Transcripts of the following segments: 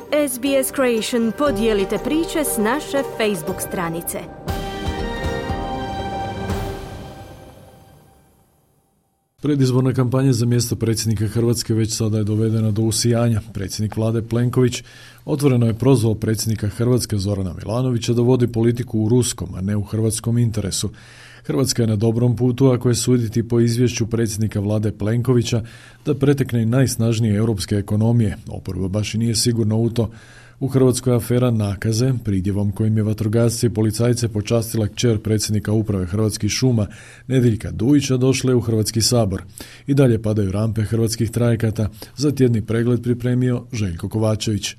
SBS Creation, podijelite priče s naše Facebook stranice. Predizborna kampanja za mjesto predsjednika Hrvatske već sada je dovedena do usijanja. Predsjednik vlade Plenković otvoreno je prozvao predsjednika Hrvatske Zorana Milanovića da vodi politiku u ruskom, a ne u hrvatskom interesu. Hrvatska je na dobrom putu, ako je suditi po izvješću predsjednika vlade Plenkovića, da pretekne i najsnažnije europske ekonomije. Oporba baš i nije sigurno u to. U Hrvatskoj je afera nakaze, pridjevom kojim je vatrogasce i policajce počastila kćer predsjednika uprave Hrvatskih šuma Nediljka Dujića, došle u Hrvatski sabor. I dalje padaju rampe hrvatskih trajekata, za tjedni pregled pripremio Željko Kovačević.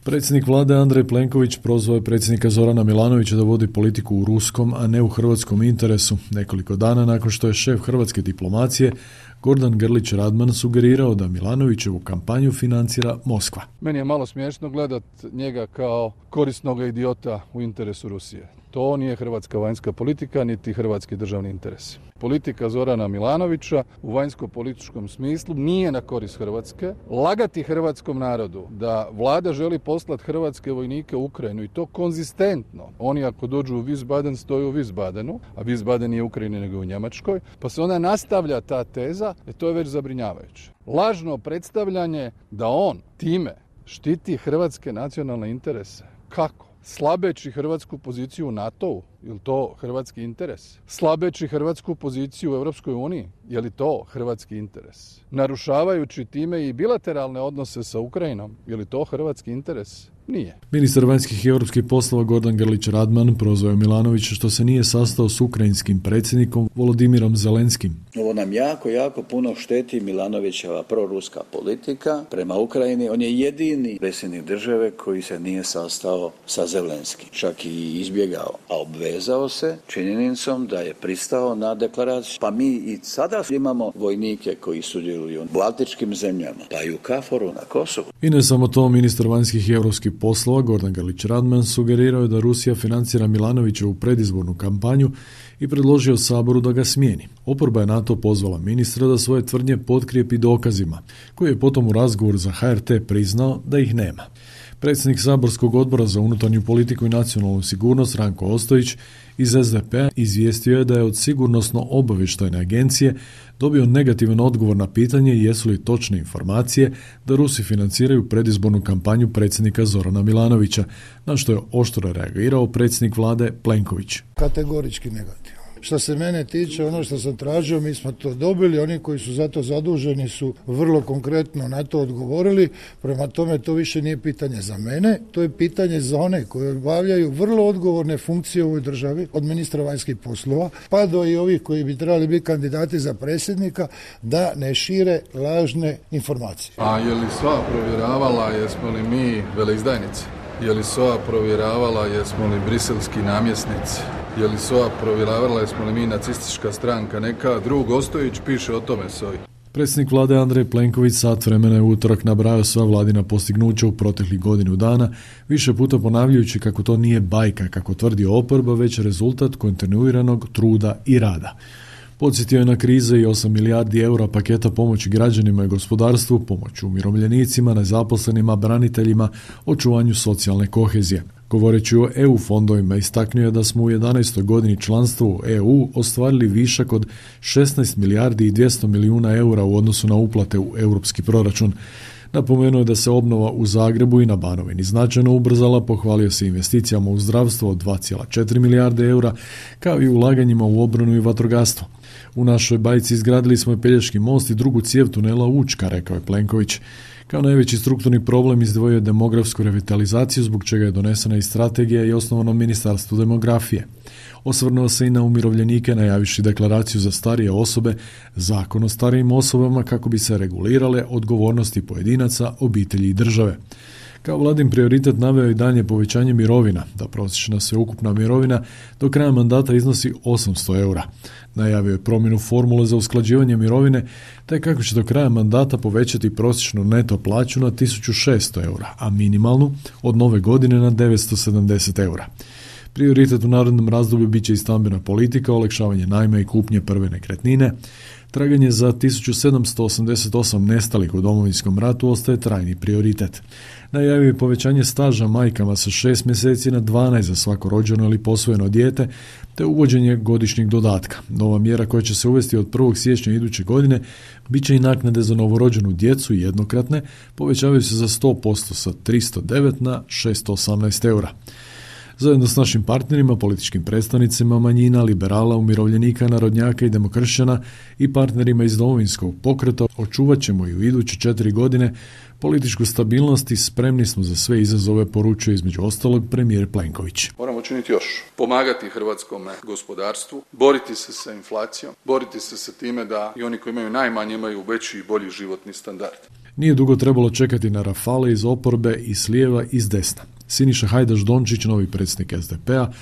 Predsjednik vlade Andrej Plenković prozvao je predsjednika Zorana Milanovića da vodi politiku u ruskom, a ne u hrvatskom interesu. Nekoliko dana nakon što je šef hrvatske diplomacije Gordan Grlić Radman sugerirao da Milanovićevu kampanju financira Moskva. Meni je malo smiješno gledat njega kao korisnog idiota u interesu Rusije. To nije hrvatska vanjska politika, niti hrvatski državni interes. Politika Zorana Milanovića u vanjsko-političkom smislu nije na korist Hrvatske. Lagati hrvatskom narodu da vlada želi poslati hrvatske vojnike u Ukrajinu i to konzistentno. Oni ako dođu u Wiesbaden stoju u Wiesbadenu, a Wiesbaden nije u Ukrajini nego u Njemačkoj, pa se onda nastavlja ta teza, to je već zabrinjavajuće. Lažno predstavljanje da on time štiti hrvatske nacionalne interese. Kako? Slabeći hrvatsku poziciju u NATO-u, je li to hrvatski interes? Slabeći hrvatsku poziciju u Europskoj uniji, je li to hrvatski interes? Narušavajući time i bilateralne odnose sa Ukrajinom, je li to hrvatski interes? Nije. Ministar vanjskih i europskih poslova Gordan Grlić Radman prozvao je Milanovića što se nije sastao s ukrajinskim predsjednikom Volodimirom Zelenskim. Ovo nam jako puno šteti Milanovićeva proruska politika prema Ukrajini. On je jedini predsjednik države koji se nije sastao sa Zelenskim. Čak i izbjegao, a obvezao se činjenicom da je pristao na deklaraciju. Pa mi i sada imamo vojnike koji sudjeluju u baltičkim zemljama, pa i u KFOR-u na Kosovu. I ne samo to, ministar vanjskih i europskih poslova Gordan Grlić Radman sugerirao je da Rusija financira Milanovićevu predizbornu kampanju i predložio Saboru da ga smijeni. Oporba je na to pozvala ministra da svoje tvrdnje potkrijepi dokazima, koji je potom u razgovoru za HRT priznao da ih nema. Predsjednik saborskog odbora za unutarnju politiku i nacionalnu sigurnost Ranko Ostojić iz SDP-a izvijestio je da je od sigurnosno-obavještajne agencije dobio negativan odgovor na pitanje jesu li točne informacije da Rusi financiraju predizbornu kampanju predsjednika Zorana Milanovića, na što je oštro reagirao predsjednik vlade Plenković. Kategorički negativno. Što se mene tiče, ono što sam tražio, mi smo to dobili, oni koji su za to zaduženi su vrlo konkretno na to odgovorili, prema tome to više nije pitanje za mene, to je pitanje za one koji obavljaju vrlo odgovorne funkcije u ovoj državi, od ministra vanjskih poslova, pa do i ovih koji bi trebali biti kandidati za predsjednika, da ne šire lažne informacije. A je li SOA provjeravala jesmo li mi veleizdajnici? Je li SOA provjeravala jesmo li briselski namjesnici? Je li SOA provjeravala jesmo li mi nacistička stranka neka? Drug Ostojić piše o tome SOA-i. Predsjednik vlade Andrej Plenković sat vremena je u utorak nabrajao sva vladina postignuća u proteklih godinu dana, više puta ponavljajući kako to nije bajka, kako tvrdi oporba, već rezultat kontinuiranog truda i rada. Podsjetio je na krize i 8 milijardi eura paketa pomoći građanima i gospodarstvu, pomoć umirovljenicima, nezaposlenima, braniteljima, očuvanju socijalne kohezije. Govoreći o EU fondovima, istaknuo je da smo u 11. godini članstva u EU ostvarili višak od 16 milijardi i 200 milijuna eura u odnosu na uplate u europski proračun. Napomenuo je da se obnova u Zagrebu i na Banovini značajno ubrzala, pohvalio se investicijama u zdravstvo od 2,4 milijarde eura, kao i ulaganjima u obranu i vatrogastvo. U našoj bajci izgradili smo i Pelješki most i drugu cijev tunela Učka, rekao je Plenković. Kao najveći strukturni problem izdvojio je demografsku revitalizaciju, zbog čega je donesena i strategija i osnovano Ministarstvo demografije. Osvrnuo se i na umirovljenike, najavivši deklaraciju za starije osobe, zakon o starijim osobama kako bi se regulirale odgovornosti pojedinaca, obitelji i države. Kao vladin prioritet naveo i dalje povećanje mirovina, da prosječna sveukupna mirovina do kraja mandata iznosi 800 eura. Najavio je promjenu formule za usklađivanje mirovine, te kako će do kraja mandata povećati prosječnu neto plaću na 1600 eura, a minimalnu od nove godine na 970 eura. Prioritet u narednom razdoblju bit će i stambena politika, olakšavanje najma i kupnje prve nekretnine, Traganje za 1788 nestalih u Domovinskom ratu ostaje trajni prioritet. Najavio je povećanje staža majkama sa 6 mjeseci na 12 za svako rođeno ili posvojeno dijete, te uvođenje godišnjeg dodatka. Nova mjera koja će se uvesti od 1. siječnja iduće godine bit će i naknade za novorođenu djecu jednokratne, povećavaju se za 100% sa 309 na 618 eura. Zajedno s našim partnerima, političkim predstavnicima manjina, liberala, umirovljenika, narodnjaka i demokršćana i partnerima iz Domovinskog pokreta očuvat ćemo i u iduće 4 godine političku stabilnost i spremni smo za sve izazove, poručuje između ostalog premijer Plenković. Moramo činiti još. Pomagati hrvatskom gospodarstvu, boriti se sa inflacijom, boriti se sa time da i oni koji imaju najmanje imaju veći i bolji životni standard. Nije dugo trebalo čekati na rafale iz oporbe i s lijeva i s desna. Siniša Hajdaš Dončić, novi predsjednik SDP-a,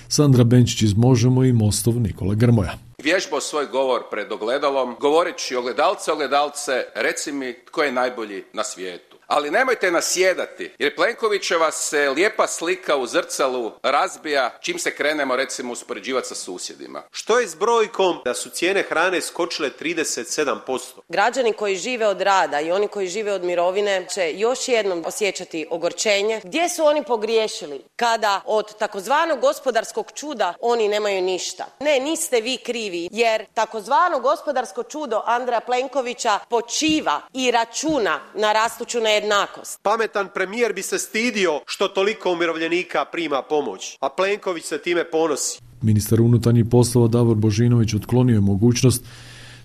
Sandra Benčić iz Možemo i Mostov Nikola Grmoja. Vježbao svoj govor pred ogledalom, govoreći ogledalce, reci mi tko je najbolji na svijetu. Ali nemojte nasjedati, jer Plenkovićeva se lijepa slika u zrcalu razbija čim se krenemo recimo uspoređivati sa susjedima. Što je s brojkom da su cijene hrane skočile 37%? Građani koji žive od rada i oni koji žive od mirovine će još jednom osjećati ogorčenje. Gdje su oni pogriješili kada od takozvanog gospodarskog čuda oni nemaju ništa? Ne, niste vi krivi, jer takozvano gospodarsko čudo Andreja Plenkovića počiva i računa na rastuću nejednakost. Pametan premijer bi se stidio što toliko umirovljenika prima pomoć, a Plenković se time ponosi. Ministar unutarnjih poslova Davor Božinović otklonio je mogućnost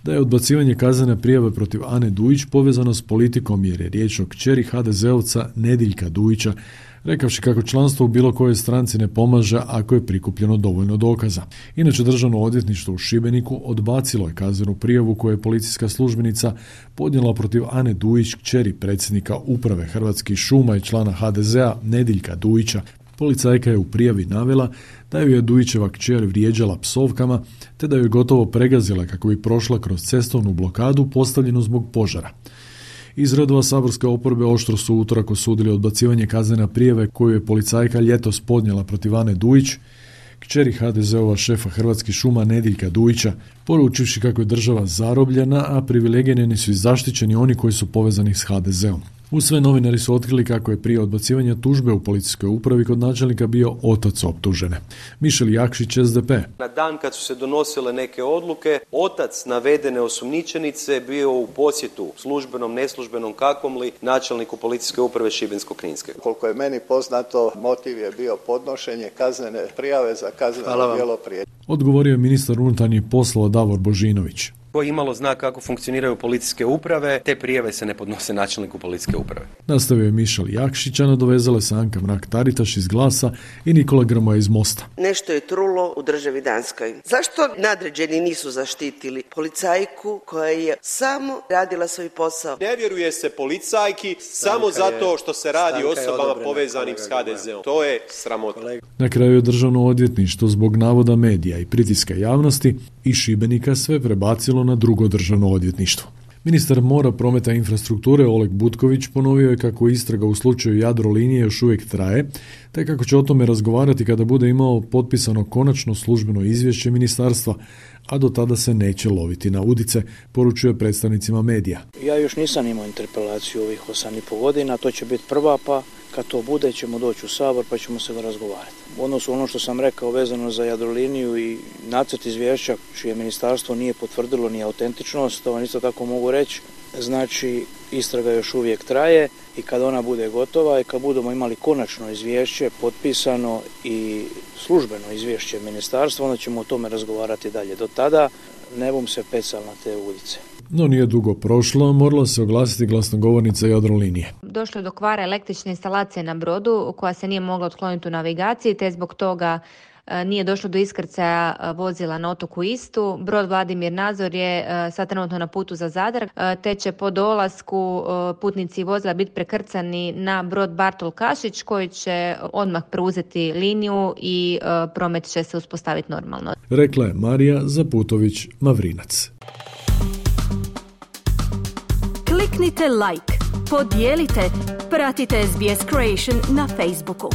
da je odbacivanje kaznene prijave protiv Ane Dujić povezano s politikom jer je riječ o kćeri HDZ-ovca Nediljka Dujića, rekavši kako članstvo u bilo kojoj stranci ne pomaže ako je prikupljeno dovoljno dokaza. Inače, Državno odvjetništvo u Šibeniku odbacilo je kaznenu prijavu koju je policijska službenica podnijela protiv Ane Dujić, kćeri predsjednika uprave Hrvatskih šuma i člana HDZ-a Nediljka Dujića. Policajka je u prijavi navela da ju je Dujićeva kćer vrijeđala psovkama, te da ju je gotovo pregazila kako bi prošla kroz cestovnu blokadu postavljenu zbog požara. Iz redova saborske oporbe oštro su utorak osudili odbacivanje kaznene prijave koju je policajka ljetos podnijela protiv Ane Dujić, kćeri HDZ-ova šefa Hrvatskih šuma Nediljka Dujića, poručivši kako je država zarobljena, a privilegirani su i zaštićeni oni koji su povezani s HDZ-om. U sve novinari su otkrili kako je prije odbacivanja tužbe u policijskoj upravi kod načelnika bio otac optužene. Mišel Jakšić, SDP. Na dan kad su se donosile neke odluke, otac navedene osumnjičenice bio u posjetu službenom, neslužbenom, kakvom li, načelniku policijske uprave Šibensko-kninske. Koliko je meni poznato, motiv je bio podnošenje kaznene prijave za kazneno djelo prijetnje. Odgovorio je ministar unutarnjih poslova Davor Božinović. Koji imalo zna kako funkcioniraju policijske uprave, te prijave se ne podnose načelniku policijske uprave. Nastavio je Mišel Jakšić, a nadovezale se Anka Mrak-Taritaš iz Glasa i Nikola Grmoja iz Mosta. Nešto je trulo u državi Danskoj. Zašto nadređeni nisu zaštitili policajku koja je samo radila svoj posao? Ne vjeruje se policajki samo zato što se radi o osobama povezanim s HDZ-om. To je sramota. Na kraju je Državno odvjetništvo zbog navoda medija i pritiska javnosti i Šibenika sve prebacilo na drugo državno odvjetništvo. Ministar mora, prometa i infrastrukture Oleg Butković ponovio je kako istraga u slučaju Jadrolinije još uvijek traje, te kako će o tome razgovarati kada bude imao potpisano konačno službeno izvješće ministarstva, a do tada se neće loviti na udice, poručuje predstavnicima medija. Ja još nisam imao interpelaciju ovih 8,5 godina, to će biti prva, pa kad to bude ćemo doći u Sabor pa ćemo se razgovarati. U odnosu ono što sam rekao vezano za Jadroliniju i nacrt izvješća čije ministarstvo nije potvrdilo ni autentičnost, to vam isto tako mogu reći, znači istraga još uvijek traje i kad ona bude gotova i kad budemo imali konačno izvješće potpisano i službeno izvješće ministarstva, onda ćemo o tome razgovarati dalje. Do tada ne bum se pecal na te ulice. No nije dugo prošlo, morala se oglasiti glasnogovornica Jadrolinije. Došlo je do kvara električne instalacije na brodu koja se nije mogla otkloniti u navigaciji, te zbog toga nije došlo do iskrcaja vozila na otoku Istu. Brod Vladimir Nazor je sad trenutno na putu za Zadar, te će po dolasku putnici vozila biti prekrcani na brod Bartol Kašić koji će odmah preuzeti liniju i promet će se uspostaviti normalno. Rekla je Marija Zaputović-Mavrinac. Kliknite like, podijelite, pratite SBS Creation na Facebooku.